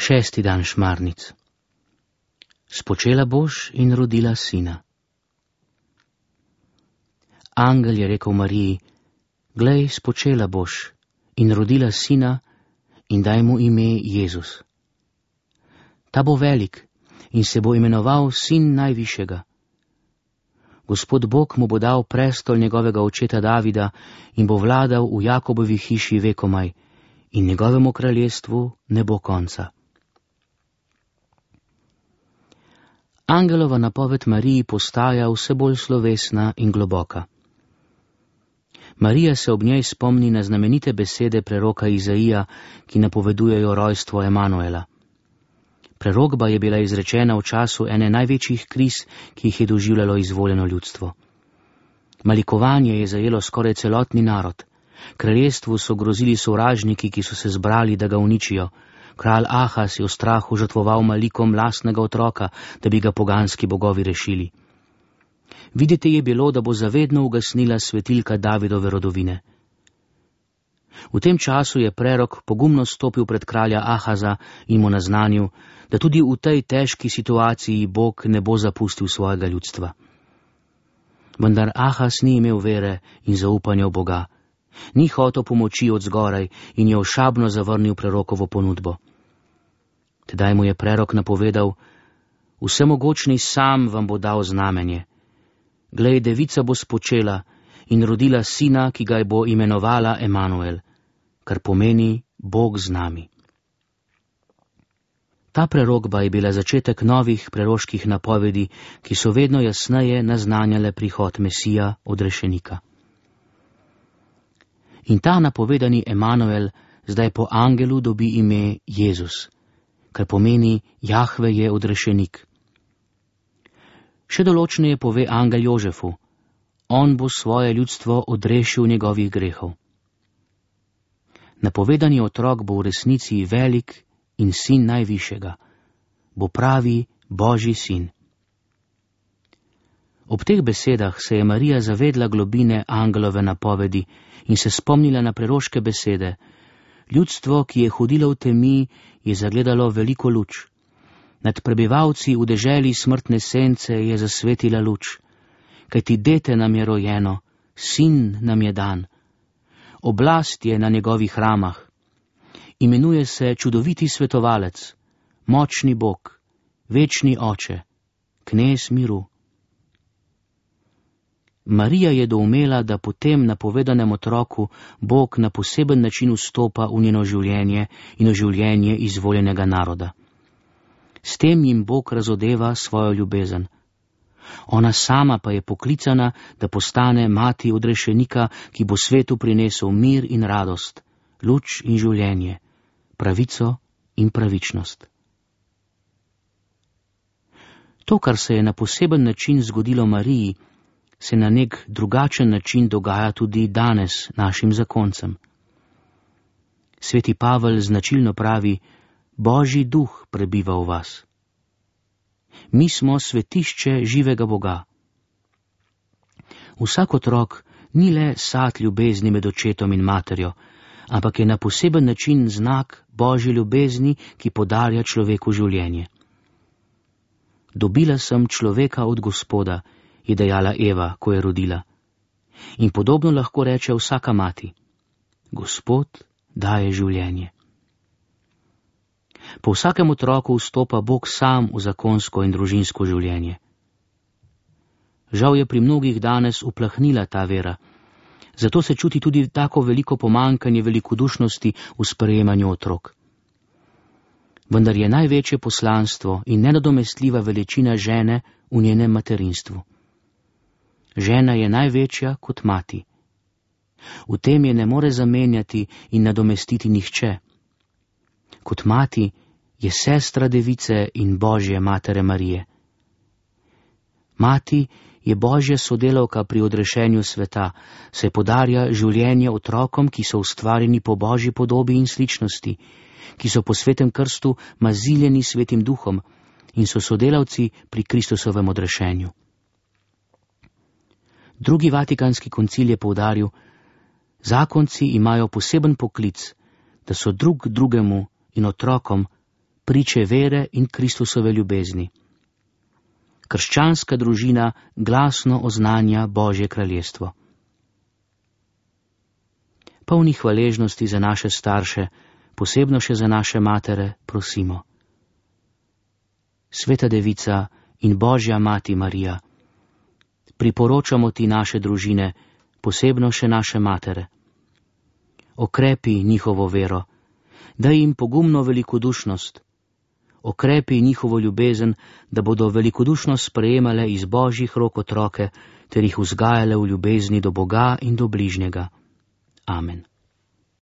Šesti dan šmarnic. Spočela boš in rodila sina. Angel je rekel Mariji: glej, spočela boš in rodila sina in daj mu ime Jezus. Ta bo velik in se bo imenoval Sin Najvišjega. Gospod Bog mu bo dal prestol njegovega očeta Davida in bo vladal v Jakobovi hiši vekomaj in njegovemu kraljestvu ne bo konca. Angelova napoved Mariji postaja vse bolj slovesna in globoka. Marija se ob njej spomni na znamenite besede preroka Izaija, ki napovedujejo rojstvo Emanuela. Prerokba je bila izrečena v času ene največjih kriz, ki jih je doživljalo izvoljeno ljudstvo. Malikovanje je zajelo skoraj celotni narod. Kraljestvu so grozili sovražniki, ki so se zbrali, da ga uničijo. Kralj Ahaz je v strahu žrtvoval malikom lastnega otroka, da bi ga poganski bogovi rešili. Videti je bilo, da bo zavedno ugasnila svetilka Davidove rodovine. V tem času je prerok pogumno stopil pred kralja Ahaza in mu naznanil, da tudi v tej težki situaciji Bog ne bo zapustil svojega ljudstva. Vendar Ahaz ni imel vere in zaupanja v Boga. Ni hotel pomoči od zgoraj in je ošabno zavrnil prerokovo ponudbo. Tedaj mu je prerok napovedal: vsemogočni sam vam bo dal znamenje. Glej, devica bo spočela in rodila sina, ki ga bo imenovala Emanuel, kar pomeni Bog z nami. Ta prerokba je bila začetek novih preroških napovedi, ki so vedno jasneje naznanjale prihod Mesija, odrešenika. In ta napovedani Emanuel zdaj po angelu dobi ime Jezus, kar pomeni Jahve je odrešenik. Še določneje pove angel Jožefu: on bo svoje ljudstvo odrešil njegovih grehov. Napovedani otrok bo v resnici velik in Sin Najvišjega, bo pravi Božji sin. Ob teh besedah se je Marija zavedla globine angelove napovedi in se spomnila na preroške besede: ljudstvo, ki je hodilo v temi, je zagledalo veliko luč. Nad prebivalci v deželi smrtne sence je zasvetila luč. Kajti dete nam je rojeno, sin nam je dan. Oblast je na njegovih ramah. Imenuje se čudoviti svetovalec, močni Bog, večni oče, knez miru. Marija je doumela, da po tem napovedanem otroku Bog na poseben način vstopa v njeno življenje in v življenje izvoljenega naroda. S tem jim Bog razodeva svojo ljubezen. Ona sama pa je poklicana, da postane mati odrešenika, ki bo svetu prinesel mir in radost, luč in življenje, pravico in pravičnost. To, kar se je na poseben način zgodilo Mariji, se na nek drugačen način dogaja tudi danes našim zakoncem. Sveti Pavel značilno pravi: Božji duh prebiva v vas. Mi smo svetišče živega Boga. Vsak otrok ni le sad ljubezni med očetom in materjo, ampak je na poseben način znak Božje ljubezni, ki podarja človeku življenje. Dobila sem človeka od Gospoda, je dejala Eva, ko je rodila. In podobno lahko reče vsaka mati: Gospod daje življenje. Po vsakem otroku vstopa Bog sam v zakonsko in družinsko življenje. Žal je pri mnogih danes uplahnila ta vera, zato se čuti tudi tako veliko pomankanje velikodušnosti v sprejemanju otrok. Vendar je največje poslanstvo in nenadomestljiva veličina žene v njenem materinstvu. Žena je največja kot mati. V tem je ne more zamenjati in nadomestiti nihče. Kot mati je sestra device in Božje matere Marije. Mati je Božja sodelavka pri odrešenju sveta, saj podarja življenje otrokom, ki so ustvarjeni po Božji podobi in sličnosti, ki so po svetem krstu maziljeni svetim duhom in so sodelavci pri Kristusovem odrešenju. Drugi Vatikanski koncil je poudaril: zakonci imajo poseben poklic, da so drug drugemu in otrokom priče vere in Kristusove ljubezni. Krščanska družina glasno oznanja Božje kraljestvo. Polni hvaležnosti za naše starše, posebno še za naše matere, prosimo. Sveta Devica in Božja Mati Marija, priporočamo ti naše družine, posebno še naše matere. Okrepi njihovo vero, daj jim pogumno velikodušnost, okrepi njihovo ljubezen, da bodo velikodušno sprejemale iz Božjih rok otroke ter jih vzgajale v ljubezni do Boga in do bližnjega. Amen.